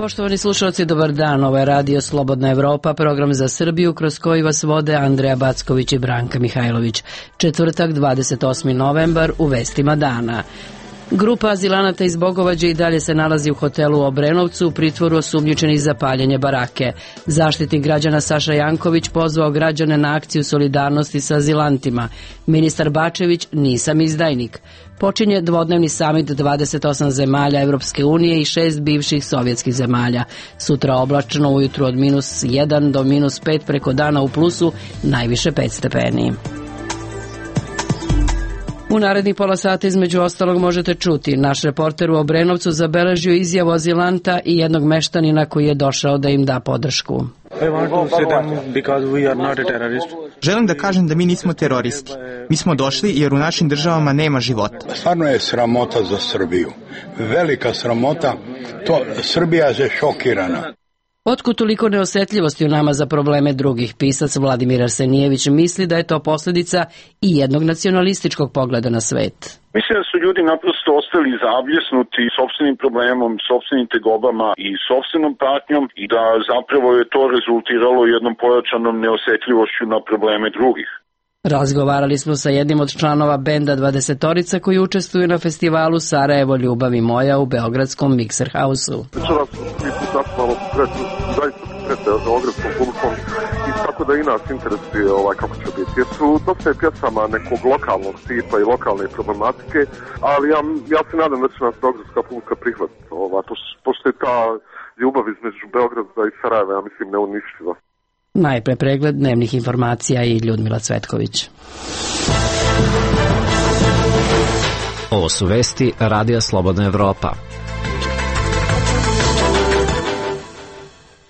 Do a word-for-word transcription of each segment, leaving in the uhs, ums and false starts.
Poštovani slušalci, dobar dan. Ovo je Radio Slobodna Evropa, program za Srbiju kroz koji vas vode Andreja Backović i Branka Mihajlović. Četvrtak, dvadeset osmi novembar, u vestima dana. Grupa azilanata iz Bogovađe i dalje se nalazi u hotelu u Obrenovcu u pritvoru osumnjičenih za paljenje barake. Zaštitnik građana Saša Janković pozvao građane na akciju solidarnosti sa azilantima. Ministar Bačević, nisam izdajnik. Počinje dvodnevni samit dvadeset osam zemalja Evropske unije i šest bivših sovjetskih zemalja. Sutra oblačno, ujutru od minus jedan do minus pet, preko dana u plusu, najviše pet stepeni. U narednih pola sata između ostalog možete čuti. Naš reporter u Obrenovcu zabeležio izjavu azilanta i jednog meštanina koji je došao da im da podršku. Želim da kažem da mi nismo teroristi. Mi smo došli jer u našim državama nema života. Stvarno je sramota za Srbiju. Velika sramota. To Srbija je šokirana. Otkud toliko neosetljivosti u nama za probleme drugih? Pisac Vladimir Arsenijević misli da je to posljedica i jednog nacionalističkog pogleda na svet. Mislim da su ljudi naprosto ostali zabljesnuti sopstvenim problemom, sopstvenim tegobama i sopstvenom patnjom i da zapravo je to rezultiralo jednom pojačanom neosetljivošću na probleme drugih. Razgovarali smo sa jednim od članova benda Dvadesetorica koji učestvuju na festivalu Sarajevo ljubavi moja u beogradskom Mixer House-u. Večeras mi tu zapravo zaista prete beogradskom publikom i tako da i nas interesuje ovaj, kako će biti. Jer su dosta je pjesama nekog lokalnog tipa i lokalne problematike, ali ja, ja se nadam da će nas beogradska publika prihvatiti. Ovaj, pošto je ta ljubav između Beograda i Sarajeva, ja mislim, neuništiva. Najpre pregled dnevnih informacija i Ljudmila Cvetković. Ovo su vesti Radija Slobodna Evropa.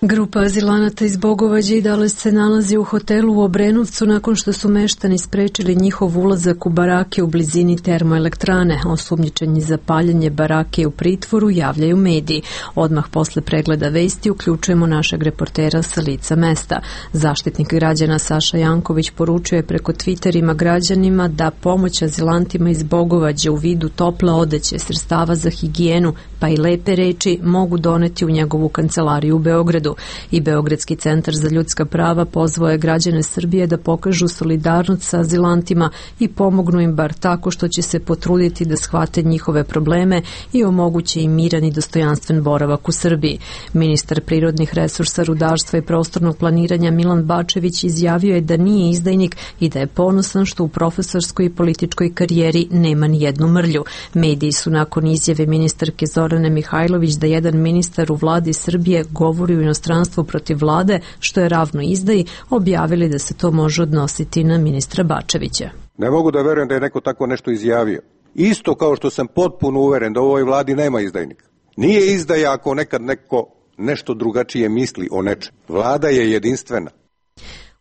Grupa azilanata iz Bogovađe i dalje se nalazi u hotelu u Obrenovcu nakon što su meštani sprečili njihov ulazak u barake u blizini termoelektrane. Osumnjičeni za paljenje barake u pritvoru javljaju mediji. Odmah posle pregleda vesti uključujemo našeg reportera sa lica mesta. Zaštitnik građana Saša Janković poručuje preko Twitterima građanima da pomoć azilantima iz Bogovađe u vidu tople odeće, sredstava za higijenu pa i lepe reči mogu doneti u njegovu kancelariju u Beogradu. I Beogradski centar za ljudska prava pozvao je građane Srbije da pokažu solidarnost sa azilantima i pomognu im bar tako što će se potruditi da shvate njihove probleme i omoguće im miran i dostojanstven boravak u Srbiji. Ministar prirodnih resursa, rudarstva i prostornog planiranja Milan Bačević izjavio je da nije izdajnik i da je ponosan što u profesorskoj i političkoj karijeri nema ni jednu mrlju. Mediji su nakon izjave ministarke Zorane Mihajlović da jedan ministar u vladi Srbije govori u inostranstvu protiv vlade, što je ravno izdaji, objavili da se to može odnositi na ministra Bačevića. Ne mogu da verujem da je neko tako nešto izjavio. Isto kao što sam potpuno uveren da u ovoj vladi nema izdajnika. Nije izdaja ako nekad neko nešto drugačije misli o nečem. Vlada je jedinstvena.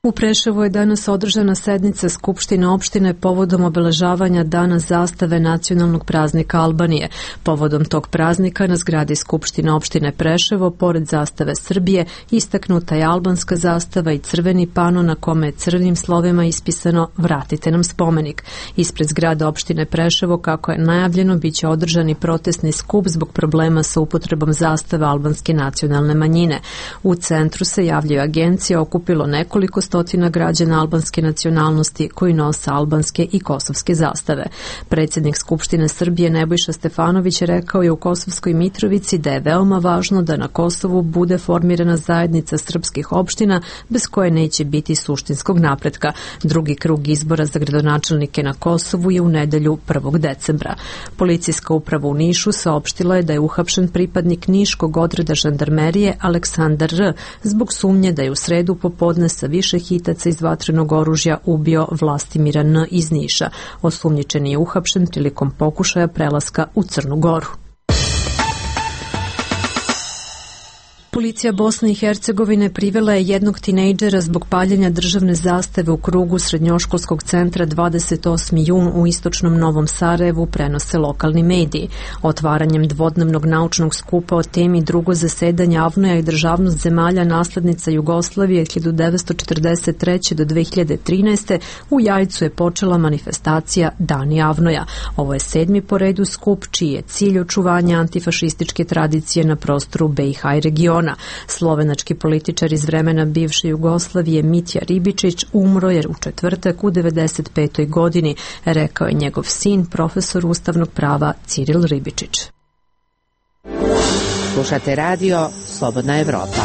U Preševu je danas održana sednica Skupštine opštine povodom obeležavanja Dana zastave nacionalnog praznika Albanije. Povodom tog praznika na zgradi Skupštine opštine Preševo, pored zastave Srbije, istaknuta je albanska zastava i crveni pano na kome je crvenim slovima ispisano "Vratite nam spomenik". Ispred zgrada opštine Preševo, kako je najavljeno, biće održani protestni skup zbog problema sa upotrebom zastave albanske nacionalne manjine. U centru se javljaju agencije, okupilo nekoliko stotina građana albanske nacionalnosti koji nose albanske i kosovske zastave. Predsjednik Skupštine Srbije Nebojša Stefanović rekao je u Kosovskoj Mitrovici da je veoma važno da na Kosovu bude formirana zajednica srpskih opština bez koje neće biti suštinskog napretka. Drugi krug izbora za gradonačelnike na Kosovu je u nedelju prvog decembra. Policijska uprava u Nišu saopštila je da je uhapšen pripadnik niškog odreda žandarmerije Aleksandar R. zbog sumnje da je u sredu popodne sa više hitaca iz vatrenog oružja ubio Vlastimira N. iz Niša. Osumnjičeni je uhapšen prilikom pokušaja prelaska u Crnu Goru. Policija Bosne i Hercegovine privela je jednog tinejdžera zbog paljenja državne zastave u krugu srednjoškolskog centra dvadeset osmi jun u istočnom Novom Sarajevu, prenose lokalni mediji. Otvaranjem dvodnevnog naučnog skupa o temi drugo zasedanje Avnoja i državnost zemalja naslednica Jugoslavije hiljadu devetsto četrdeset treće do dve hiljade trinaeste. u Jajcu je počela manifestacija Dani Avnoja. Ovo je sedmi po redu skup čiji je cilj očuvanja antifašističke tradicije na prostoru B i H i regiona. Slovenački političar iz vremena bivše Jugoslavije Mitja Ribičić umro je u četvrtak u devedeset petoj godini, rekao je njegov sin, profesor ustavnog prava Ciril Ribičić. Slušate radio Slobodna Evropa.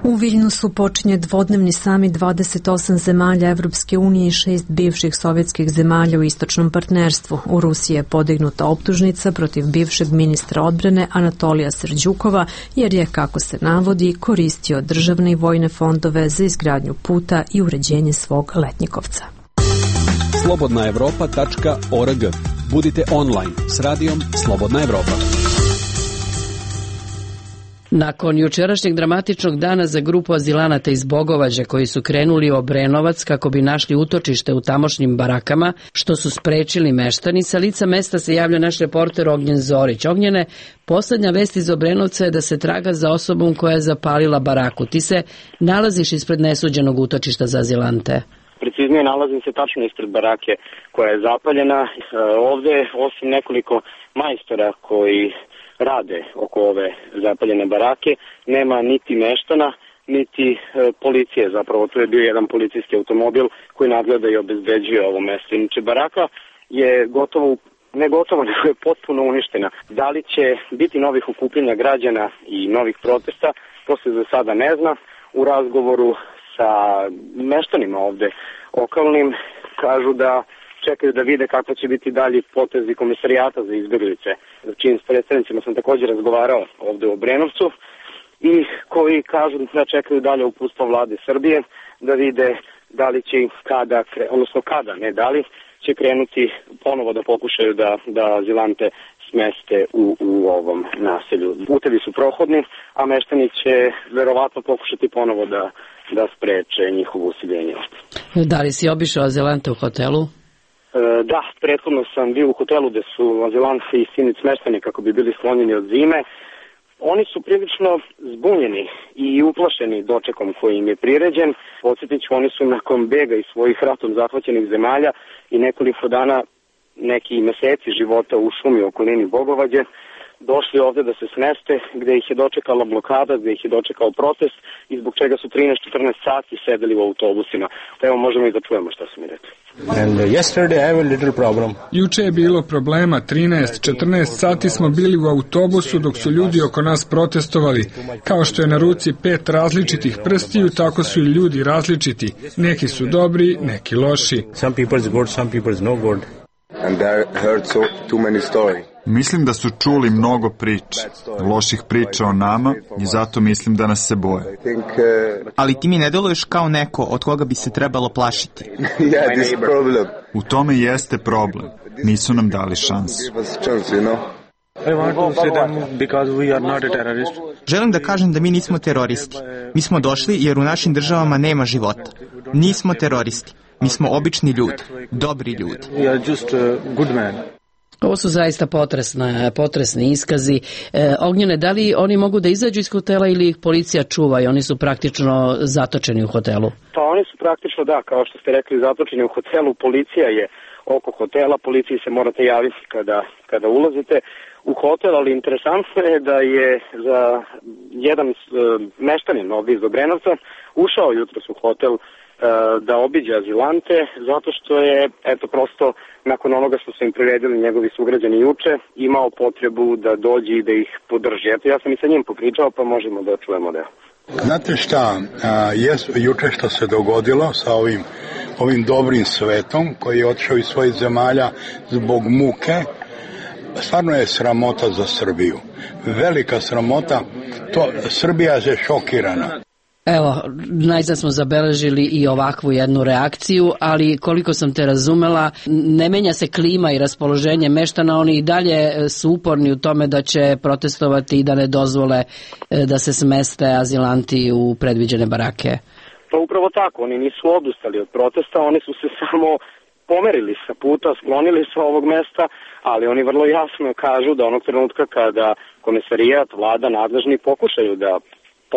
U Viljnusu počinje dvodnevni samit dvadeset osam zemalja Evropske unije i šest bivših sovjetskih zemalja u istočnom partnerstvu. U Rusiji je podignuta optužnica protiv bivšeg ministra odbrane Anatolija Serđukova, jer je, kako se navodi, koristio državne i vojne fondove za izgradnju puta i uređenje svog letnjikovca. slobodna evropa tačka org. Budite online s radijom Slobodna Evropa. Nakon jučerašnjeg dramatičnog dana za grupu azilanata iz Bogovađa koji su krenuli u Obrenovac kako bi našli utočište u tamošnjim barakama, što su sprečili meštani, sa lica mesta se javlja naš reporter Ognjen Zorić. Ognjene, poslednja vest iz Obrenovca je da se traga za osobom koja je zapalila baraku. Ti se nalaziš ispred nesuđenog utočišta za azilante. Preciznije, nalazim se tačno ispred barake koja je zapaljena. Ovde, osim nekoliko majstora koji rade oko ove zapaljene barake, nema niti meštana, niti e, policije. Zapravo tu je bio jedan policijski automobil koji nadgleda i obezbeđuje ovo mesto. Inače, baraka je gotovo, ne gotovo, nego je potpuno uništena. Da li će biti novih okupljenja građana i novih protesta, to se za sada ne zna. U razgovoru sa meštanima ovde okolnim kažu da čekaju da vide kako će biti dalji potezi komisarijata za izbjeglice, čijim predstavnicima sam također razgovarao ovde u Obrenovcu, i koji kažu da čekaju dalje uputstvo vlade Srbije da vide da li će kada, odnosno kada, ne da li, će krenuti ponovo da pokušaju da, da azilante smeste u, u ovom naselju. Putevi su prohodni, a meštani će verovatno pokušati ponovo da, da spreče njihovo usiljenje. Da li si obišao azilante u hotelu? Da, prethodno sam bio u hotelu gde su azilanti i sinic smešteni kako bi bili sklonjeni od zime. Oni su prilično zbunjeni i uplašeni dočekom koji im je priređen. Podsjetit ću, oni su nakon bega iz svojih ratom zahvaćenih zemalja i nekoliko dana, neki meseci života u šumi u okolini Bogovađe, došli ovde da se smeste, gde ih je dočekala blokada, gde ih je dočekao protest i zbog čega su trinaest do četrnaest sati sedeli u autobusima. Evo, možemo i da čujemo šta su mi rekli. And yesterday I have a little problem. Juče je bilo problema, trinaest do četrnaest sati smo bili u autobusu dok su ljudi oko nas protestovali. Kao što je na ruci pet različitih prstiju, tako su i ljudi različiti. Neki su dobri, neki loši. Some people's good, some people's no good. And they heard so too many stories. Mislim da su čuli mnogo priča, loših priča o nama, i zato mislim da nas se boje. Ali ti mi ne deluješ kao neko od koga bi se trebalo plašiti. U tome jeste problem. Nisu nam dali šansu. Želim da kažem da mi nismo teroristi. Mi smo došli jer u našim državama nema života. Nismo teroristi. Mi smo obični ljudi, dobri ljudi. Ovo su zaista potresne, potresni iskazi. E, Ognjene, da li oni mogu da izađu iz hotela ili ih policija čuva i oni su praktično zatočeni u hotelu? Pa oni su praktično, da, kao što ste rekli, zatočeni u hotelu. Policija je oko hotela, policiji se morate javiti kada, kada ulazite u hotel, ali interesantno je da je za jedan e, meštanin ovdje iz Obrenovca ušao jutros u hotel da obiđe azilante, zato što je, eto, prosto nakon onoga što su im priredili njegovi sugrađani juče, imao potrebu da dođe i da ih podrži. Eto, ja sam i sa njim popričao, pa možemo da čujemo da. Znate šta, a, je juče što se dogodilo sa ovim, ovim dobrim svetom koji je otišao iz svojih zemalja zbog muke, stvarno je sramota za Srbiju. Velika sramota, to Srbija je šokirana. Evo, najzad smo zabeležili i ovakvu jednu reakciju, ali koliko sam te razumela, ne menja se klima i raspoloženje meštana, oni i dalje su uporni u tome da će protestovati i da ne dozvole da se smeste azilanti u predviđene barake. Pa upravo tako, oni nisu odustali od protesta, oni su se samo pomerili sa puta, sklonili sa ovog mesta, ali oni vrlo jasno kažu da onog trenutka kada komesarijat, vlada, nadležni pokušaju da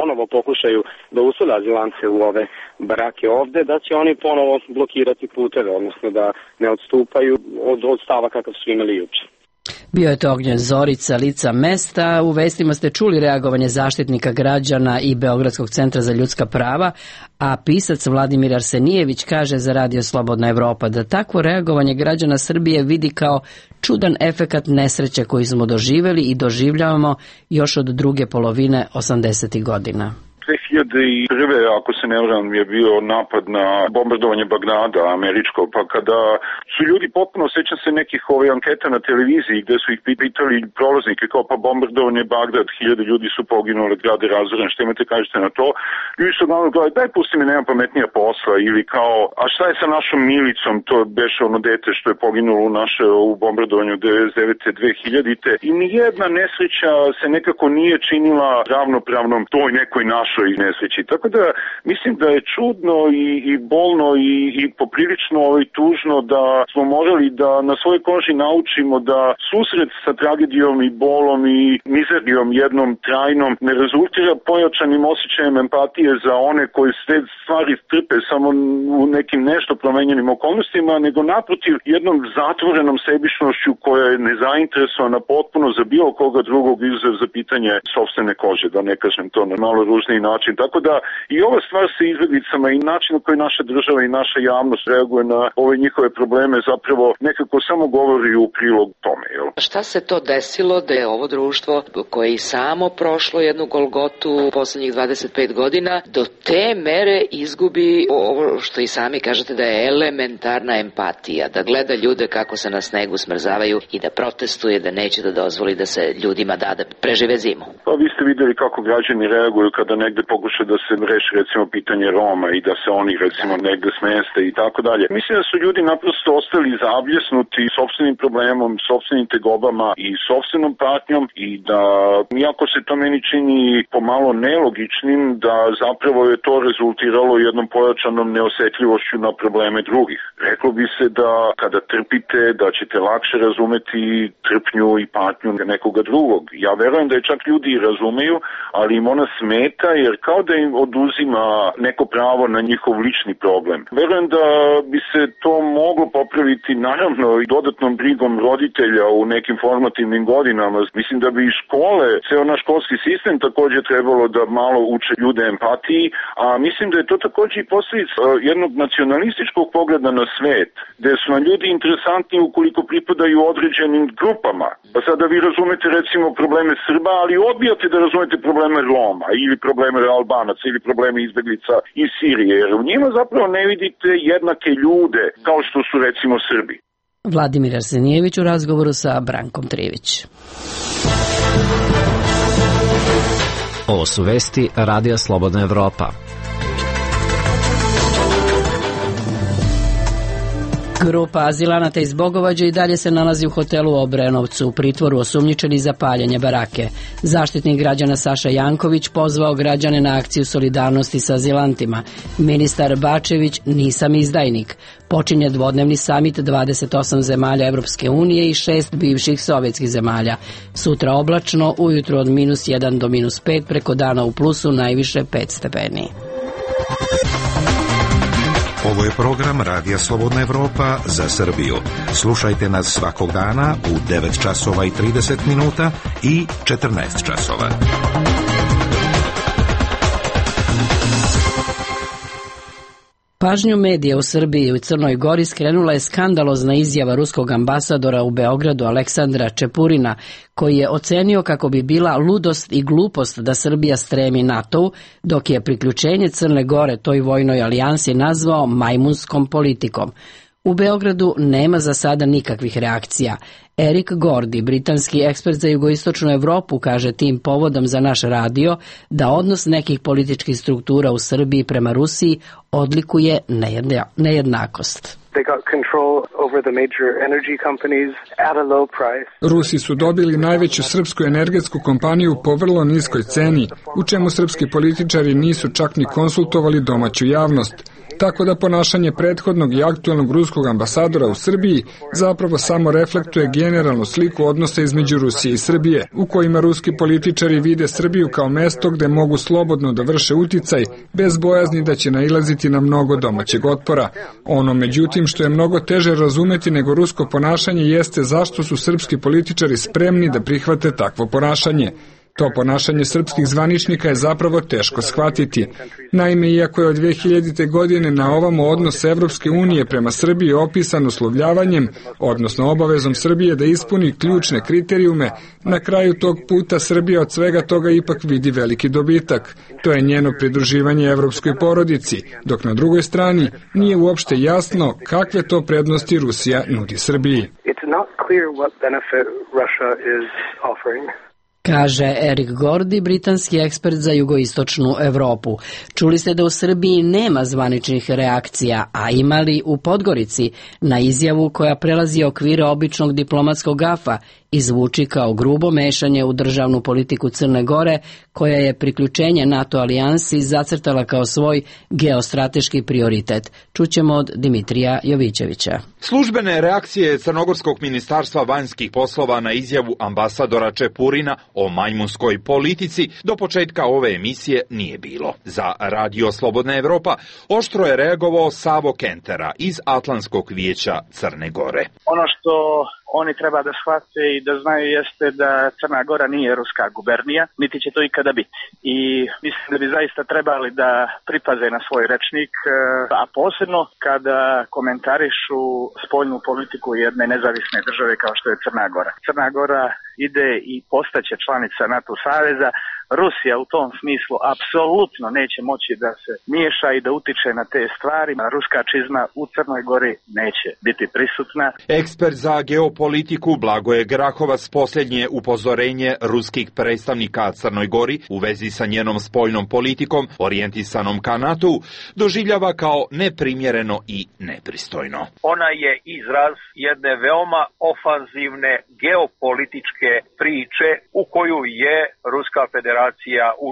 ponovo pokušaju da usade azilance u ove barake ovde, da će oni ponovo blokirati puteve, odnosno da ne odstupaju od, od stava kakav su imali juče. Bio je to Ognjen Zorica, lica mesta. U vestima ste čuli reagovanje Zaštitnika građana i Beogradskog centra za ljudska prava, a pisac Vladimir Arsenijević kaže za Radio Slobodna Evropa da takvo reagovanje građana Srbije vidi kao čudan efekat nesreće koji smo doživeli i doživljavamo još od druge polovine osamdesetih godina. dve hiljade prve. ako se ne varam, je bio napad na bombardovanje Bagdada američko, pa kada su ljudi potpuno, sećam se nekih ove anketa na televiziji gde su ih pitali prolaznike kao pa bombardovanje Bagdad, hiljade ljudi su poginule, grad je razoren, što imate kažete na to? Ljudi su glavno gledali, daj pusti mi, nema pametnija posla, ili kao, a šta je sa našom Milicom, to je beše ono dete što je poginulo u naše u bombardovanju devedeset devete. dve hiljadite. I nijedna nesreća se nekako nije činila ravnopravnom toj nekoj našoj i nesreći. Tako da mislim da je čudno i, i bolno i, i poprilično ovaj, tužno da smo morali da na svojoj koži naučimo da susret sa tragedijom i bolom i mizerijom jednom trajnom ne rezultira pojačanim osjećajem empatije za one koji sve stvari trpe samo u nekim nešto promenjenim okolnostima, nego naprotiv jednom zatvorenom sebičnošću koja je nezainteresovana potpuno za bilo koga drugog izuzev za pitanje sopstvene kože, da ne kažem to na malo ružniji način. Tako da i ova stvar sa izbeglicama i način na koji naša država i naša javnost reaguje na ove njihove probleme zapravo nekako samo govori u prilog tome. Jel? Šta se to desilo da je ovo društvo koje i samo prošlo jednu golgotu u poslednjih dvadeset pet godina do te mere izgubi ovo što i sami kažete da je elementarna empatija, da gleda ljude kako se na snegu smrzavaju i da protestuje, da neće da dozvoli da se ljudima da da prežive zimu? Pa vi ste videli kako građani reaguju kada negde pokuša da se reši recimo pitanje Roma i da se oni recimo negde smeste i tako dalje. Mislim da su ljudi naprosto ostali zabljesnuti sopstvenim problemom, sopstvenim tegobama i sopstvenom patnjom i da, iako se to meni čini pomalo nelogičnim, da zapravo je to rezultiralo jednom pojačanom neosetljivošću na probleme drugih. Reklo bi se da kada trpite, da ćete lakše razumeti trpnju i patnju nekoga drugog. Ja verujem da je čak ljudi i razumeju, ali im ona smeta jer kao da im oduzima neko pravo na njihov lični problem. Verujem da bi se to moglo popraviti naravno i dodatnom brigom roditelja u nekim formativnim godinama. Mislim da bi i škole, ceo naš školski sistem takođe trebalo da malo uče ljude empatiji, a mislim da je to takođe i posljedica jednog nacionalističkog pogleda na svet, gde su nam ljudi interesantni ukoliko pripadaju određenim grupama. Pa sada vi razumete recimo probleme Srba, ali odbijate da razumete probleme Roma ili probleme Albanaca ili probleme izbeglica iz Sirije, jer u njima zapravo ne vidite jednake ljude kao što su recimo Srbi. Vladimir Arsenijević u razgovoru sa Brankom Trivić. Ovo su vesti Radija Slobodna Evropa. Grupa azilanata iz Bogovađa i dalje se nalazi u hotelu u Obrenovcu, u pritvoru osumnjičeni za paljenje barake. Zaštitnik građana Saša Janković pozvao građane na akciju solidarnosti sa azilantima. Ministar Bačević, nisam izdajnik. Počinje dvodnevni samit dvadeset osam zemalja Evropske unije i šest bivših sovjetskih zemalja. Sutra oblačno, ujutro od minus jedan do minus pet, preko dana u plusu najviše pet stepeni. Ovo je program Radija Slobodna Evropa za Srbiju. Slušajte nas svakog dana u devet časova i trideset minuta i četrnaest časova. Pažnju medija u Srbiji i u Crnoj Gori skrenula je skandalozna izjava ruskog ambasadora u Beogradu Aleksandra Čepurina, koji je ocenio kako bi bila ludost i glupost da Srbija stremi NATO-u, dok je priključenje Crne Gore toj vojnoj alijansi nazvao majmunskom politikom. U Beogradu nema za sada nikakvih reakcija. Erik Gordy, britanski ekspert za jugoistočnu Evropu, kaže tim povodom za naš radio da odnos nekih političkih struktura u Srbiji prema Rusiji odlikuje nejednakost. Rusi su dobili najveću srpsku energetsku kompaniju po vrlo niskoj ceni, u čemu srpski političari nisu čak ni konsultovali domaću javnost. Tako da ponašanje prethodnog i aktuelnog ruskog ambasadora u Srbiji zapravo samo reflektuje generalnu sliku odnosa između Rusije i Srbije, u kojima ruski političari vide Srbiju kao mesto gde mogu slobodno da vrše uticaj, bez bojazni da će nailaziti na mnogo domaćeg otpora. Ono, međutim, što je mnogo teže razumeti nego rusko ponašanje jeste zašto su srpski političari spremni da prihvate takvo ponašanje. To ponašanje srpskih zvaničnika je zapravo teško shvatiti. Naime, iako je od dve hiljadite. godine na ovamo odnos Evropske unije prema Srbiji opisan uslovljavanjem, odnosno obavezom Srbije da ispuni ključne kriterijume, na kraju tog puta Srbija od svega toga ipak vidi veliki dobitak. To je njeno pridruživanje evropskoj porodici, dok na drugoj strani nije uopšte jasno kakve to prednosti Rusija nudi Srbiji. Kaže Erik Gordy, britanski ekspert za jugoistočnu Evropu. Čuli ste da u Srbiji nema zvaničnih reakcija, a imali u Podgorici na izjavu koja prelazi okvire običnog diplomatskog gafa i zvuči kao grubo mešanje u državnu politiku Crne Gore, koja je priključenje NATO alijansi zacrtala kao svoj geostrateški prioritet. Čućemo od Dimitrija Jovićevića. Službene reakcije Crnogorskog ministarstva vanjskih poslova na izjavu ambasadora Čepurina o majmunskoj politici do početka ove emisije nije bilo. Za Radio Slobodna Evropa oštro je reagovao Savo Kentera iz Atlantskog vijeća Crne Gore. Ono što oni treba da shvate i da znaju jeste da Crna Gora nije ruska gubernija, niti će to ikada biti. I mislim da bi zaista trebali da pripaze na svoj rečnik, a posebno kada komentarišu spoljnu politiku jedne nezavisne države kao što je Crna Gora. Crna Gora ide i postaće članica NATO saveza. Rusija u tom smislu apsolutno neće moći da se miješa i da utiče na te stvari. Ruska čizma u Crnoj Gori neće biti prisutna. Ekspert za geopolitiku Blagoje Grahovac posljednje upozorenje ruskih predstavnika Crnoj Gori u vezi sa njenom spoljnom politikom orijentisanom ka NATO doživljava kao neprimjereno i nepristojno. Ona je izraz jedne veoma ofanzivne geopolitičke priče u koju je Ruska federacija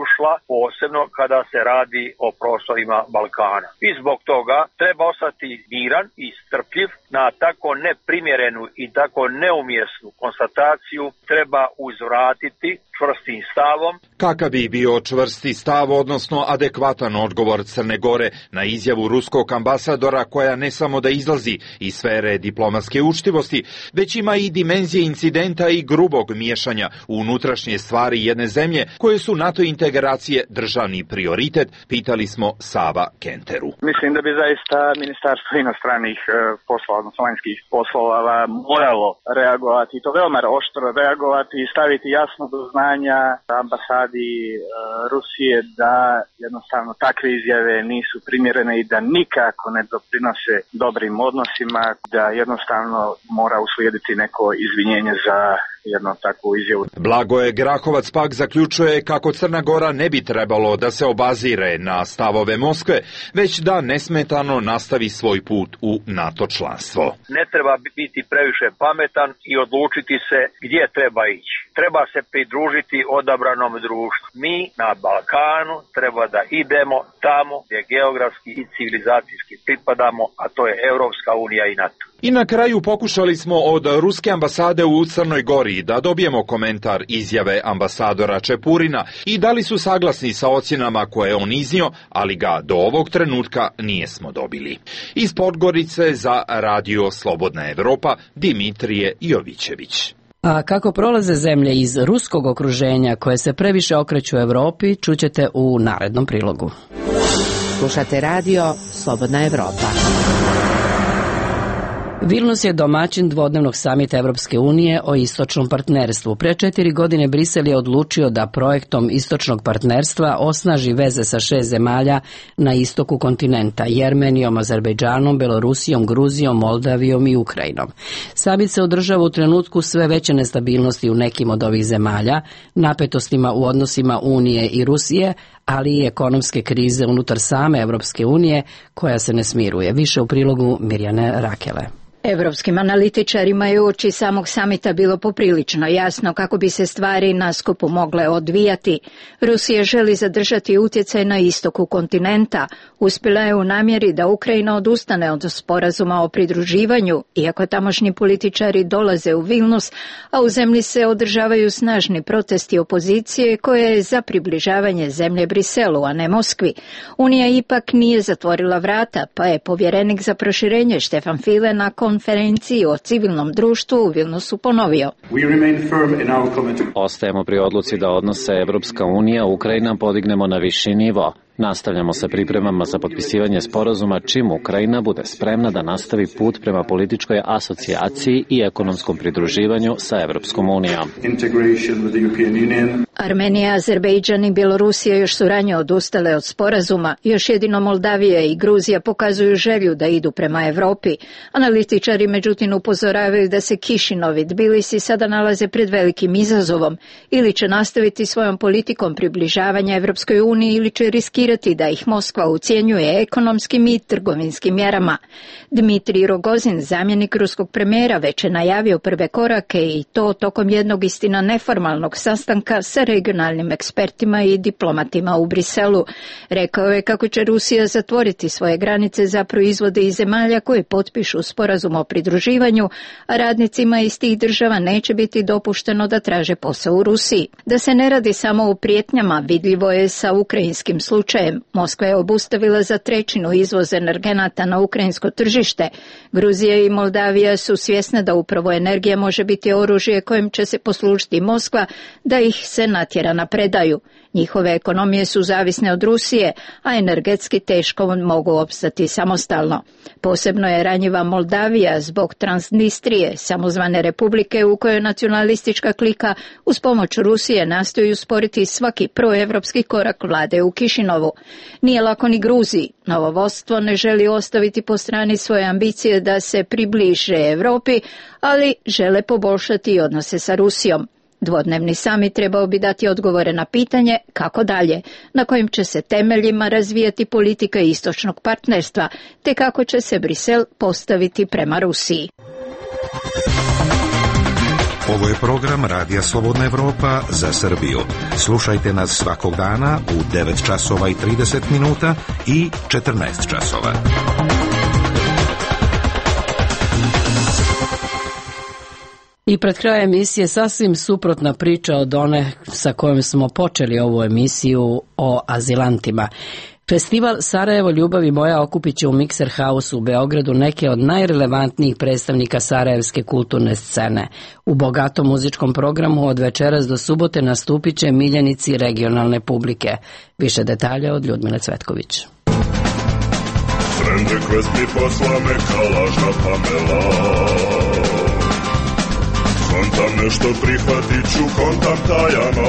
ušla, posebno kada se radi o prostorima Balkana. I zbog toga treba ostati miran i strpljiv. Na tako neprimjerenu i tako neumjesnu konstataciju treba uzvratiti čvrstim stavom. Kakav bi bio čvrsti stav, odnosno adekvatan odgovor Crne Gore na izjavu ruskog ambasadora koja ne samo da izlazi iz sfere diplomatske učtivosti, već ima i dimenzije incidenta i grubog miješanja u unutrašnje stvari jedne zemlje koje su NATO integracije državni prioritet, pitali smo Sava Kenteru. Mislim da bi zaista Ministarstvo inostranih poslova, odnosno vanjskih poslova, moralo reagovati, i to veoma oštro reagovati i staviti jasno do znanja ambasadi Rusije da jednostavno takve izjave nisu primjerene i da nikako ne doprinose dobrim odnosima, da jednostavno mora uslijediti neko izvinjenje za jednu takvu izjavu. Blagoje Grahovac pak zaključuje kako Crna Gora ne bi trebalo da se obazire na stavove Moskve, već da nesmetano nastavi svoj put u NATO članstvo. Ne treba biti previše pametan i odlučiti se gdje treba ići. Treba se pridružiti odabranom društvu. Mi na Balkanu treba da idemo tamo gdje geografski i civilizacijski pripadamo, a to je Evropska unija i NATO. I na kraju pokušali smo od ruske ambasade u Crnoj Gori da dobijemo komentar izjave ambasadora Čepurina i da li su saglasni sa ocjenama koje je on iznio, ali ga do ovog trenutka nijesmo dobili. Iz Podgorice za Radio Slobodna Evropa, Dimitrije Jovićević. A kako prolaze zemlje iz ruskog okruženja koje se previše okreću Evropi, čućete u narednom prilogu. Slušate Radio Slobodna Evropa. Vilnus je domaćin dvodnevnog samita Evropske unije o istočnom partnerstvu. Pre četiri godine Brisel je odlučio da projektom istočnog partnerstva osnaži veze sa šest zemalja na istoku kontinenta: Jermenijom, Azerbejdžanom, Belorusijom, Gruzijom, Moldavijom i Ukrajinom. Samit se održava u trenutku sve veće nestabilnosti u nekim od ovih zemalja, napetostima u odnosima Unije i Rusije, ali i ekonomske krize unutar same Evropske unije koja se ne smiruje. Više u prilogu Mirjane Rakele. Evropskim analitičarima je uoči samog samita bilo poprilično jasno kako bi se stvari na skupu mogle odvijati. Rusija želi zadržati utjecaj na istoku kontinenta. Uspjela je u namjeri da Ukrajina odustane od sporazuma o pridruživanju, iako tamošnji političari dolaze u Vilnus, a u zemlji se održavaju snažni protesti opozicije koja je za približavanje zemlje Briselu, a ne Moskvi. Unija ipak nije zatvorila vrata, pa je povjerenik za proširenje Štefan File nakon konferenciji o civilnom društvu u Vilnusu ponovio. Ostajemo pri odluci da odnose Evropska unija Ukrajina podignemo na viši nivo. Nastavljamo sa pripremama za potpisivanje sporazuma čim Ukrajina bude spremna da nastavi put prema političkoj asocijaciji i ekonomskom pridruživanju sa Evropskom unijom. Armenija, Azerbejdžan i Bjelorusija još su ranije odustale od sporazuma. Još jedino Moldavija i Gruzija pokazuju želju da idu prema Evropi. Analitičari međutim upozoravaju da se Kišinov i Tbilisi sada nalaze pred velikim izazovom. Ili će nastaviti svojom politikom približavanja Evropskoj uniji ili će riskirati da ih Moskva ucjenjuje ekonomskim i trgovinskim mjerama. Dmitrij Rogozin, zamjenik ruskog premijera, već je najavio prve korake i to tokom jednog istina neformalnog sastanka sa regionalnim ekspertima i diplomatima u Briselu. Rekao je kako će Rusija zatvoriti svoje granice za proizvode iz zemalja koje potpišu sporazum o pridruživanju, a radnicima iz tih država neće biti dopušteno da traže posao u Rusiji. Da se ne radi samo o prijetnjama, vidljivo je sa ukrajinskim slučajem. Moskva je obustavila za trećinu izvoz energenata na ukrajinsko tržište. Gruzija i Moldavija su svjesne da upravo energija može biti oružje kojim će se poslužiti Moskva da ih se natjera na predaju. Njihove ekonomije su zavisne od Rusije, a energetski teško mogu opstati samostalno. Posebno je ranjiva Moldavija zbog Transnistrije, samozvane republike u kojoj nacionalistička klika uz pomoć Rusije nastoji usporiti svaki proevropski korak vlade u Kišinovu. Nije lako ni Gruziji. Novo vodstvo ne želi ostaviti po strani svoje ambicije da se približe Europi, ali žele poboljšati odnose sa Rusijom. Dvodnevni samit trebao bi dati odgovore na pitanje kako dalje, na kojim će se temeljima razvijati politika istočnog partnerstva, te kako će se Brisel postaviti prema Rusiji. Ovo je program Radija Slobodna Evropa za Srbiju. Slušajte nas svakog dana u devet časova i trideset minuta i četrnaest časova. I pred krajem emisije sasvim suprotna priča od one sa kojom smo počeli ovu emisiju o azilantima. Festival Sarajevo ljubavi moja okupit će u Mikser House u Beogradu neke od najrelevantnijih predstavnika sarajevske kulturne scene. U bogatom muzičkom programu od večeras do subote nastupit će miljenici regionalne publike. Više detalja od Ljudmile Cvetković. Friend request mi posla me kalažna Pamela. Kontam nešto prihvatit ću, kontam tajano.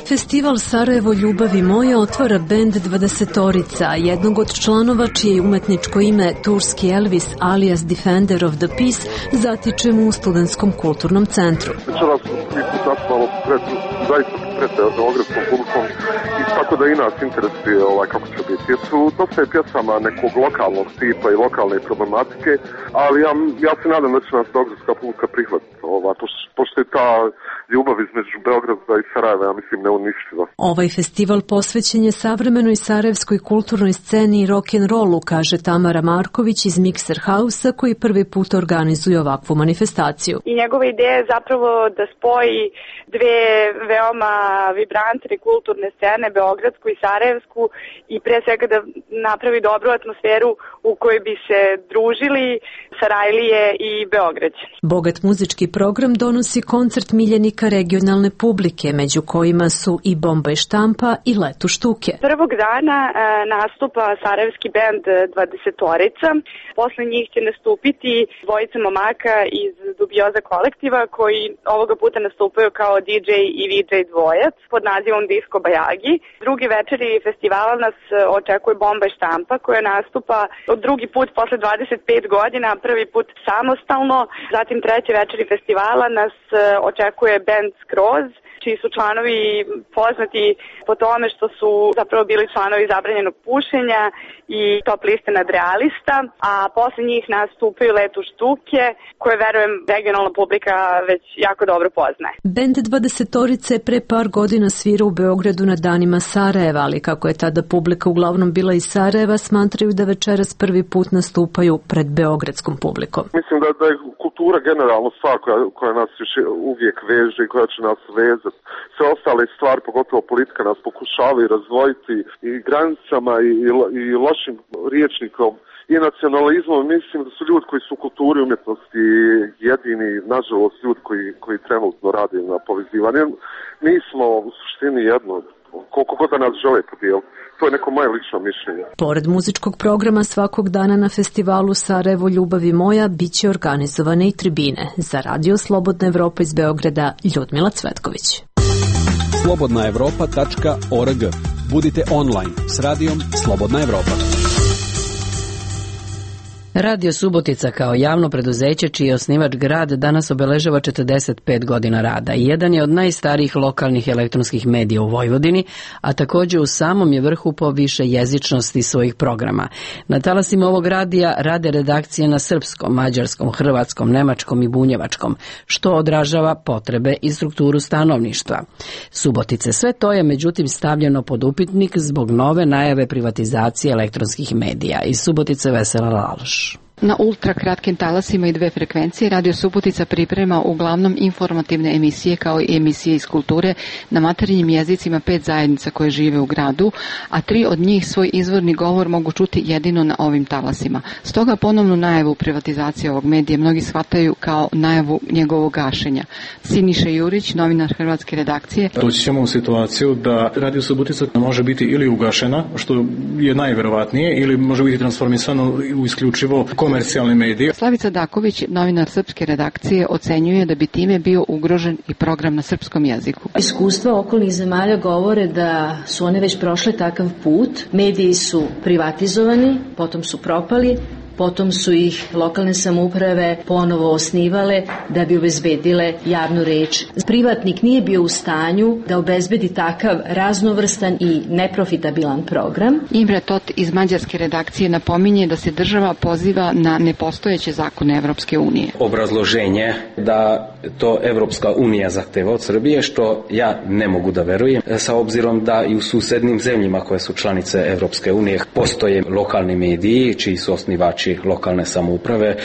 Festival Sarajevo ljubavi moja otvara bend dvadesetorica, jednog od članova čije je umetničko ime turski Elvis alias Defender of the Peace zatičemo u Studentskom kulturnom centru. Večeras mi sastavalo pred, zaista pred beogradskom publikom i tako da i nas interesuje ovaj, kako će biti. Jer su dosta je pjesama nekog lokalnog tipa i lokalne problematike, ali ja, ja se nadam da će nas beogradska publika prihvatiti. Ova, pošto je ta ljubav između Beograda i Sarajeva, ja mislim, neuništiva. Ovaj festival posvećen je savremenoj sarajevskoj kulturnoj sceni i rock'n'rollu, kaže Tamara Marković iz Mikser House-a koji prvi put organizuje ovakvu manifestaciju. I njegova ideja je zapravo da spoji dve veoma vibrantne kulturne scene, beogradsku i sarajevsku, i pre svega da napravi dobru atmosferu u kojoj bi se družili Sarajlije i Beograđani. Bogat muzički program donosi koncert miljenika regionalne publike, među kojima su su i Bomba i štampa i Letu štuke. Prvog dana e, nastupa sarajevski bend dvadesetorica. Posle njih će nastupiti dvojica momaka iz Dubioza kolektiva koji ovoga puta nastupaju kao di džej i vi džej dvojac pod nazivom Disco Bajagi. Drugi večeri festivala nas očekuje Bomba i štampa koja nastupa od drugi put posle dvadeset pet godina, prvi put samostalno. Zatim treće večeri festivala nas očekuje bend Skroz, čiji su članovi poznati po tome što su zapravo bili članovi zabranjenog pušenja i top liste nadrealista, a posle njih nastupaju Letu štuke, koje verujem regionalna publika već jako dobro poznaje. Bend dvadesetorice pre par godina svira u Beogradu na danima Sarajeva, ali kako je tada publika uglavnom bila iz Sarajeva, smatraju da večeras prvi put nastupaju pred beogradskom publikom. Mislim da, da je kultura generalno stvar koja, koja nas još uvijek veže i koja će nas vezati. Sve ostale stvari, pogotovo politika, nas pokušavaju razdvojiti i granicama i, i, i lošim riječnikom i nacionalizmom. Mislim da su ljudi koji su u kulturi umjetnosti jedini, nažalost, ljudi koji, koji trenutno rade na povezivanju. Mi smo u suštini jedno, koliko god da nas žele podijeliti. To je neko moje lično mišljenje. Pored muzičkog programa svakog dana na festivalu Sarajevo ljubavi moja biće organizovane i tribine. Za Radio Slobodna Evropa iz Beograda, Ljudmila Cvetković. slobodna evropa tačka org. Budite online s radijom Slobodna Evropa. Radio Subotica kao javno preduzeće čiji je osnivač grad danas obeležava četrdeset pet godina rada i jedan je od najstarijih lokalnih elektronskih medija u Vojvodini, a također u samom je vrhu po više jezičnosti svojih programa. Na talasima ovog radija rade redakcije na srpskom, mađarskom, hrvatskom, nemačkom i bunjevačkom, što odražava potrebe i strukturu stanovništva. Subotice, sve to je međutim stavljeno pod upitnik zbog nove najave privatizacije elektronskih medija. Iz Subotice Vesela Laloš. Na ultra kratkim talasima i dve frekvencije Radio Subotica priprema uglavnom informativne emisije kao i emisije iz kulture na materinjim jezicima pet zajednica koje žive u gradu, a tri od njih svoj izvorni govor mogu čuti jedino na ovim talasima. Stoga ponovnu najavu privatizacije ovog medija mnogi shvataju kao najavu njegovog gašenja. Siniša Jurić, novinar hrvatske redakcije. Doći ćemo u situaciju da Radio Subotica može biti ili ugašena, što je najverovatnije, ili može biti transformisano u isključivo komercijalne medije. Slavica Daković, novinar srpske redakcije, ocenjuje da bi time bio ugrožen i program na srpskom jeziku. Iskustva okolnih zemalja govore da su one već prošle takav put. Mediji su privatizovani, potom su propali, potom su ih lokalne samouprave ponovo osnivale da bi obezbedile javnu reč. Privatnik nije bio u stanju da obezbedi takav raznovrstan i neprofitabilan program. Imre Tot iz mađarske redakcije napominje da se država poziva na nepostojeće zakone Evropske unije. Obrazloženje da to Evropska unija zahteva od Srbije, što ja ne mogu da verujem, sa obzirom da i u susednim zemljima koje su članice Evropske unije postoje lokalni mediji čiji su osnivači lokalne samouprave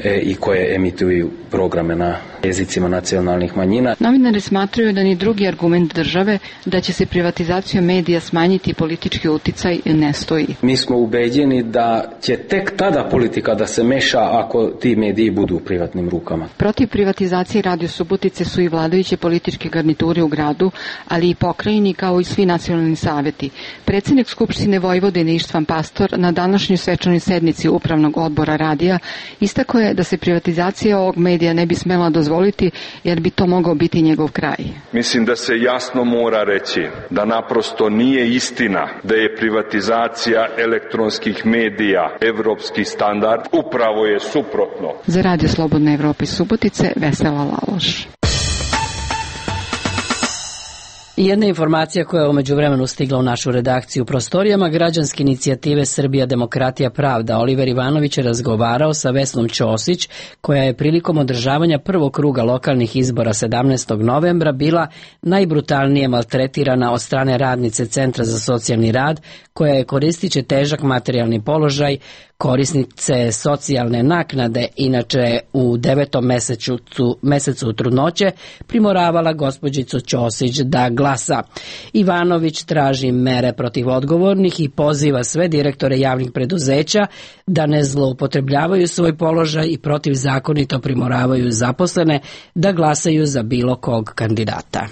e, i koje emituju programe na jezicima nacionalnih manjina. Novinari smatraju da ni drugi argument države da će se privatizacijom medija smanjiti politički uticaj ne stoji. Mi smo ubeđeni da će tek tada politika da se meša ako ti mediji budu u privatnim rukama. Protiv privatizacije Radio Subotice su i vladajuće političke garniture u gradu, ali i pokrajini kao i svi nacionalni saveti. Predsjednik Skupštine Vojvodine Ištvan Pastor na današnjoj svečanoj sednici upravnog odbora radija istakao je da se privatizacija ovog medija ne bi smela dozvoliti jer bi to mogao biti njegov kraj. Mislim da se jasno mora reći da naprosto nije istina da je privatizacija elektronskih medija evropski standard, upravo je suprotno. Za Radio Slobodna Evropa iz Subotice, Vesela Laloš. I jedna informacija koja je umeđu vremenu stigla u našu redakciju u prostorijama građanske inicijative Srbija, demokratija, pravda. Oliver Ivanović je razgovarao sa Vesnom Ćosić, koja je prilikom održavanja prvog kruga lokalnih izbora sedamnaestog novembra bila najbrutalnije maltretirana od strane radnice Centra za socijalni rad, koja je koristiće težak materijalni položaj korisnice socijalne naknade, inače u devetom mesecu, mesecu trudnoće, primoravala gospođicu Ćosić da glasa. Ivanović traži mere protiv odgovornih i poziva sve direktore javnih preduzeća da ne zloupotrebljavaju svoj položaj i protivzakonito primoravaju zaposlene da glasaju za bilo kog kandidata.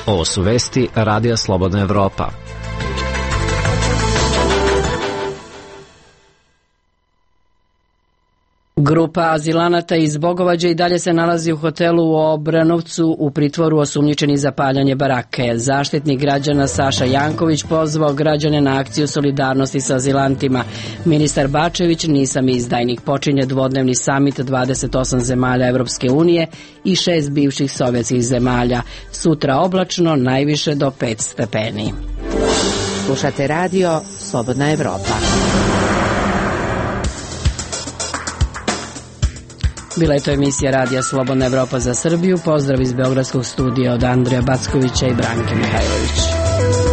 Ovo su vesti Radija Slobodna Evropa. Grupa azilanata iz Bogovađa i dalje se nalazi u hotelu u Obranovcu u pritvoru osumnjičeni za paljanje barake. Zaštitnik građana Saša Janković pozvao građane na akciju solidarnosti sa azilantima. Ministar Bačević, nisam izdajnik, počinje dvodnevni samit dvadeset osam zemalja Evropske unije i šest bivših sovjetskih zemalja. Sutra oblačno, najviše do pet stepeni. Slušate radio Slobodna Evropa. Bila je to emisija Radija Slobodna Evropa za Srbiju. Pozdrav iz Beogradskog studija od Andreja Backovića i Branke Mihajlović.